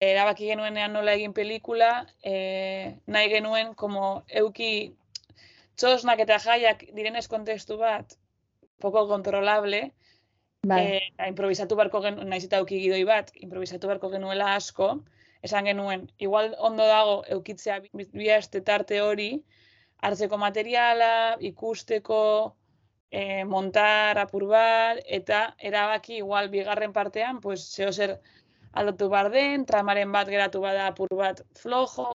erabaki genuenean nola egin pelikula, nahi genuen, euki txosnak eta jaiak direnez kontestu bat, poco kontrolable, improvisatu barko genuen, naiz eta euki gidoi bat, improvisatu barko genuela asko, esan genuen, igual ondo dago eukitzea bi aste tarte hori, hartzeko materiala, ikusteko, montar apur bat, eta erabaki igual bigarren partean, pues, zeo zer aldatu bar den, tramaren bat geratu bada apur bat flojo,